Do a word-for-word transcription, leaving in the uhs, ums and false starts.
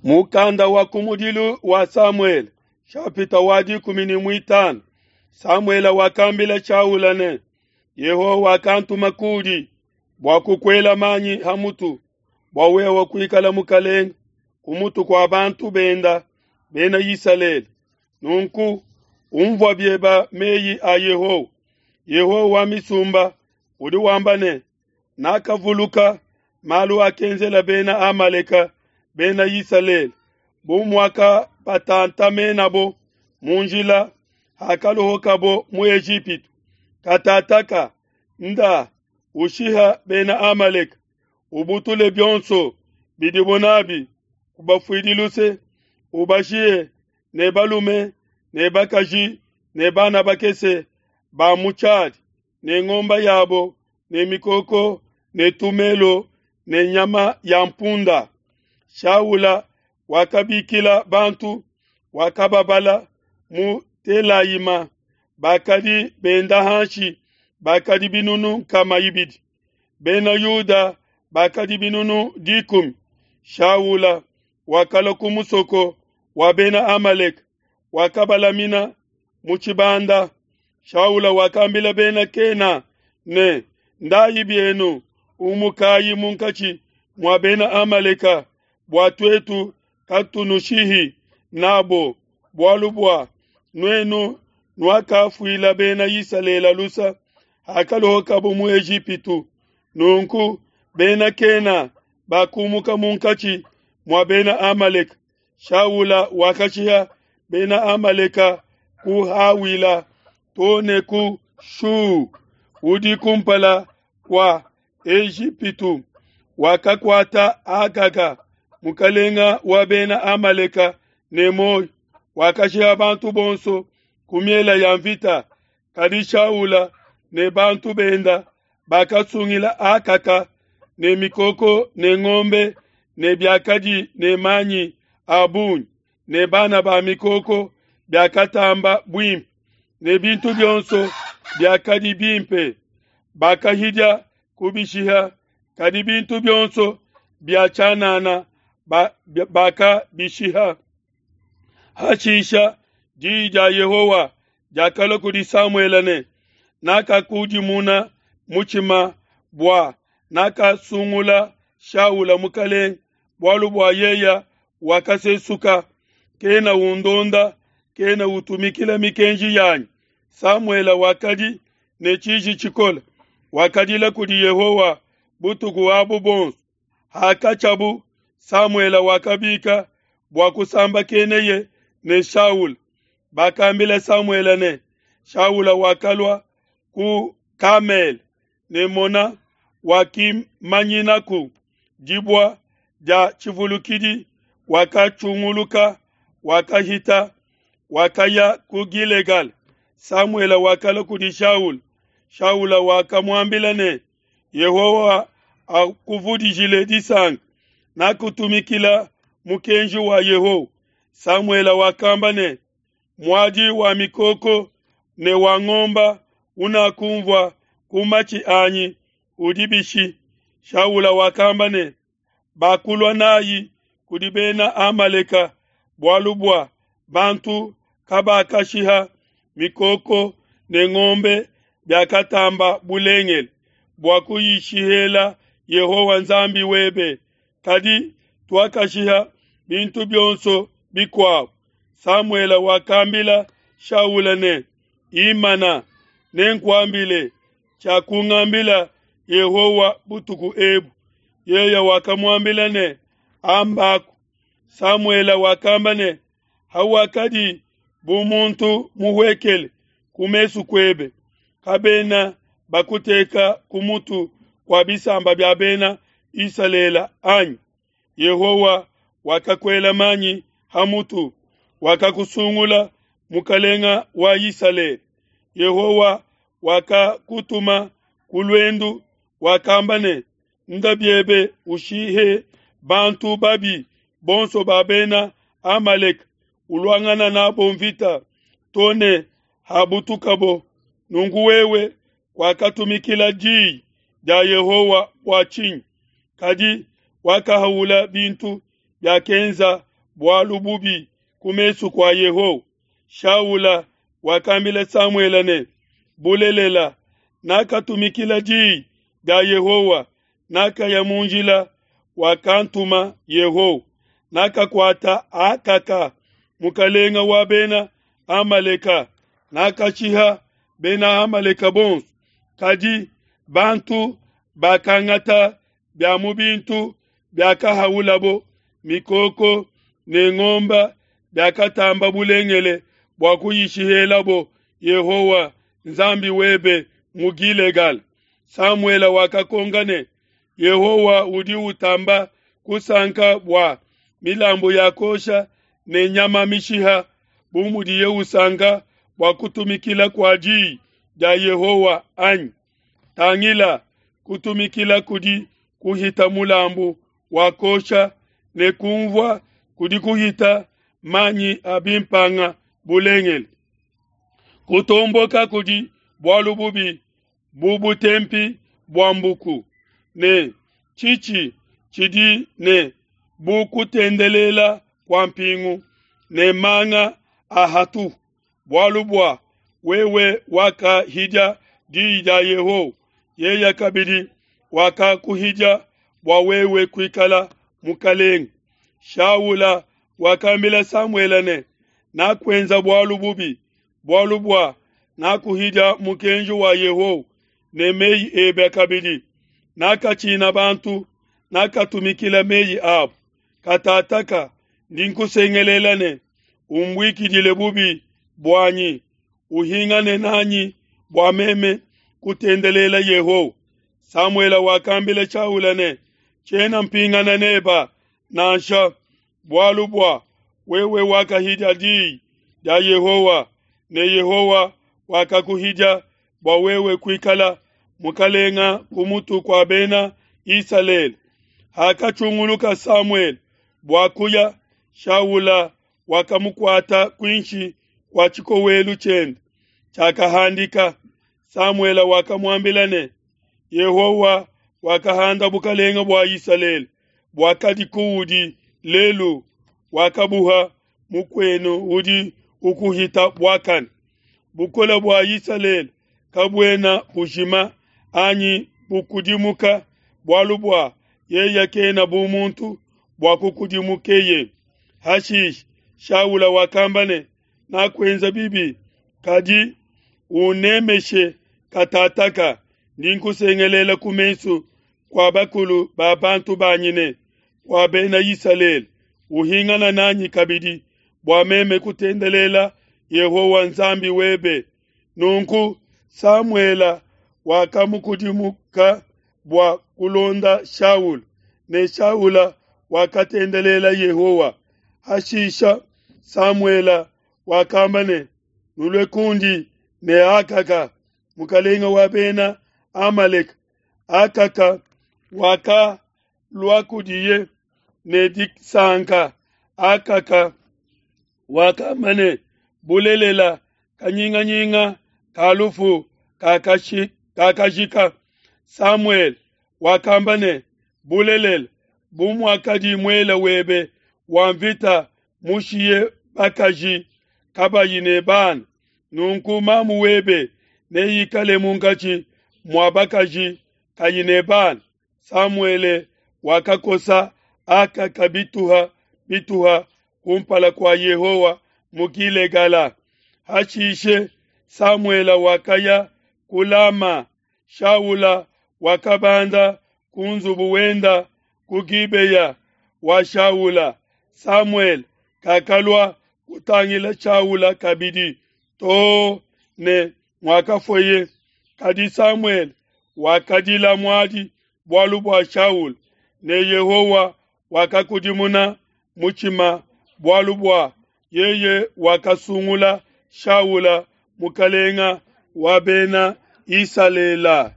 Mukanda wa kumudilu wa Samuele, shapita wa dikumi ne muitanu. Samuele wakambila Shaula ne, Yehowa wakantuma kudi bua kukuela manyi ha mutu bua wewe kuikala mukalenge ku mutu kua bantu benda bena Isalele. Nunku umvua bieba meyi a Yehowa. Yehowa wa misumba udi wamba ne, nakavuluka malu akenzela bena Amaleka bena Isalele, bu muakabatantamenabo mu njila hakalohokabo mu Ejipitu. Katataka nda ushiha bena Amaleka, ubutule bionso bidibo nabi, kubafuidi luse, ubashihe ne balume ne bakaji ne bana bakese ba mu tshiadi ne ngomba yabo ne mikoko ne tumelo ne nyama ya mpunda. Shaula wakabikila bantu, wakababala mu Telaima, bakadi benda hanshi bakadi binunu nkama ibidi, bena Yuda bakadi binunu dikumi. Shaula wakalua ku musoko wa bena Amaleka, wakabalamina mu tshibanda. Shaula wakambila bena Kena ne, ndayi bienu, umukayi munkatshi mua bena Amaleka, bua tuetu katunushihi nabo, bualu bua nuenu nuakafuila bena Isalele lusa hakalohokabo mu Ejipitu. Nunku bena Kena bakumuka munkatshi mua bena Amaleka. Shaula wakashiha bena Amaleka ku Hawila to ne ku Shu udi kumpala kua Ejipitu. Wakakuata Agaga mukalenga wa bena Amaleka ne muoyo, wakashiha bantu bonso ku miela ya mvita. Kadi Shaula ne bantu benda bakasungila Akaka ne mikoko ne ngombe ne biakadi ne manyi a bungi ne bana ba mikoko biakatamba buimpe ne bintu bionso biakadi bimpe. Bakahidia kubishiha, kadi bintu bionso bia tshianana bakabishiha. Hashisha diyi dia Yehowa diakalua kudi Samuele ne, nakakudimuna mutshima bua nakasungula Shaula mukalenge, bualu bua yeya wakasesuka, kena undonda, kena utumikila mikenji yanyi. Samuele wakadi ne tshiji tshikole, wakadila kudi Yehowa butuku abu bonso. Hakatshiabu Samuele wakabika bua kusambakeneye ne Shaula. Bakambila Samuele ne, Shaula wakalua ku Kamele, ne mona, wakimanyinaku dibua dia tshivulukidi, wakatshunguluka, wakahita, wakaya ku Gilegal. Samuele wakalua kudi Shaula. Shaula wakamuambila ne, Yehowa akuvudijile disanka, nakutumikila mukenji wa Yehowa. Samuele wakamba ne, muadi wa mikoko ne wa ngomba unakumvua ku matshi anyi udi bishi? Shaula wakamba ne, bakulua nayi kudi bena Amaleka, bualu bua bantu kabakashiha mikoko ne ngombe biakatamba bulengele bua kuyishihela Yehowa Nzambi webe, kadi tuakashiha bintu bionso bikuabo. Samuele wakambila Shaula ne, imana, nenkuambile tshiakungambila Yehowa butuku ebu. Yeye wakamuambila ne, ambaku. Samuele wakamba ne, hawakadi bu muntu muhuekele ku mesu kuebe, kabena bakuteka ku mutu kua bisamba bia bena Isalele anyi? Yehowa wakakuela manyi ha mutu, wakakusungula mukalenga wa Isalele. Yehowa wakakutuma ku luendu, wakamba ne, nda biebe ushihe bantu babi bonso ba bena Amaleka, uluangana nabo mvita to ne habutukabo. Nunku wewe wakatumikila diyi dia Yehowa bua tshinyi? Kadi wakahaula bintu biakenza bualu bubi ku mesu kua Yehowa. Shaula wakambila Samuele ne, Bulelela, nakatumikila diyi dia Yehowa, nakaya mu njila wakantuma Yehowa, nakakuata Akaka, mukalenga wa bena Amaleka, nakashiha bena Amaleka bonso. Kadi bantu bakangata bia mu bintu biakahaulabo, mikoko ne ngomba biakatamba bulengele bua kuyishihelabo Yehowa Nzambi webe mu Gilegal. Samuele wakakonka ne, Yehowa udi utamba kusanka bua milambu ya kosha ne nyama mishiha, bu mudiye usanka bua kutumikila kua diyi dia Yehowa anyi? Tangila, kutumikila kudi kuhita mulambu wa kosha, ne kunvua kudi kuhita manyi a bimpanga bulengele. Kutomboka kudi bualu bubi bu butempi bua mbuku, ne tshitshi tshidi ne bu kutendelela kua mpingu ne manga a hatu. Bualu bua wewe wakahidia diyi dia Yehowa, yeye kabidi wakakuhidia bua wewe kuikala mukalenge. Shaula wakambila Samuele ne, Nakuenza bualu bubi, bualu bua nakuhidia mukenji wa Yehowa ne meyi ebe kabidi. Nakatshina bantu, nakatumikila meyi abo. Katataka ndi nkusengelela ne, umbuikidile bubi buanyi, uhingane nanyi bua meme kutendelela Yehowa. Samuele wakambila Shaula ne, Tshiena mpingana neba nansha, bualu bua wewe wakahidia diyi dia Yehowa, ne Yehowa wakakuhidia bua wewe kuikala mukalenga ku mutu kua bena Isalele. Hakatshunguluka Samuele bua kuya, Shaula wakamukuata kuinshi kua tshikowelu tshiende tshiakahandika. Samuele wakamuambila ne, Yehowa wakahanda bukalenge bua Isalele buakadi kuudi lelu, wakabuha mukuenu udi ukuhita buakane. Bukole bua Isalele kabuena bujima anyi bukudimuka, bualu bua yeye kena bu muntu bua kukudimukeye. Hashishe Shaula wakamba ne, Nakuenza bibi, kadi unemeshe katataka, ndi nkusengelela ku mesu kua bakulu ba bantu banyi ne kua bena Isalele, uhingana nanyi kabidi bua meme kutendelela Yehowa Nzambi webe. Nunku Samuele wakamukudimuka bua kulonda Shaula, ne Shaula wakatendelela Yehowa. Hashisha Samuele wakamba ne, Nulue kundi ne Akaka, mukalenge wa bena Amaleka. Akaka wakalua kudiye ne disanka. Akaka wakamba ne, Bulelela, kanyinganyinga ka lufu kakashi- kakajika. Samuele wakamba ne, Bulelela, bu muakadi muele webe wa mvita mushiye bakaji kabayi ne bana, nunku mamu webe neikale munkatshi mua bakaji kayi ne bana. Samuele wakakosa Akaka bituha bituha kumpala kua Yehowa mu Gilegala. Hashishe Samuele wakaya ku Lama. Shaula wakabanda ku nzubu wenda ku Gibeya wa Shaula. Samuele kakalua kutangila Shaula kabidi too ne muakafueye. Kadi Samuele wakadila muadi bualu bua Shaula, ne Yehowa wakakudimuna mutshima bualu bua yeye wakasungula Shaula mukalenga wa bena Isalele.